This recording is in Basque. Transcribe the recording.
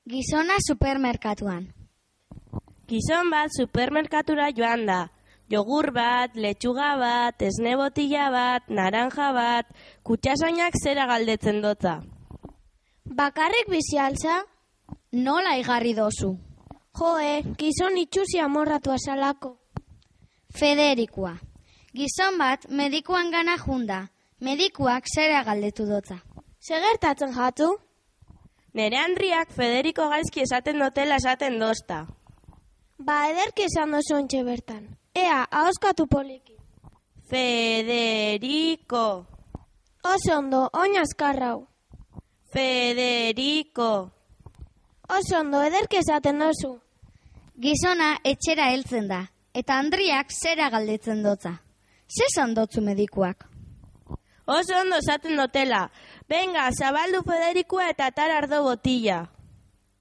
Gizona supermerkatuan. Gizon bat supermerkatura joan da. Jogur bat, letxuga bat, esne botila bat, naranja bat, kutxasainak zera galdetzen dotza. Bakarrik bizi altza? Nola igarri dozu? Joe, gizon itxusi amorratu azalako. Federikoa. Gizon bat medikuan gana junda. Medikuak zera galdetu dotza. Segertatzen jatu? Nere Andriak Federiko gaizki esaten dotela esaten dozta. Ba, ederki esan dozu ontxe bertan. Ea, ahoskatu poliki. Federiko. Oso ondo, oin azkarrau. Federiko. Oso ondo, ederki esaten dozu. Gizona etxera heltzen da, eta Andriak zera galdetzen dotza. Zesan dotzu medikuak? Oso ondo esaten dotela. Venga, zabaldu Federikoa eta atar ardo botila.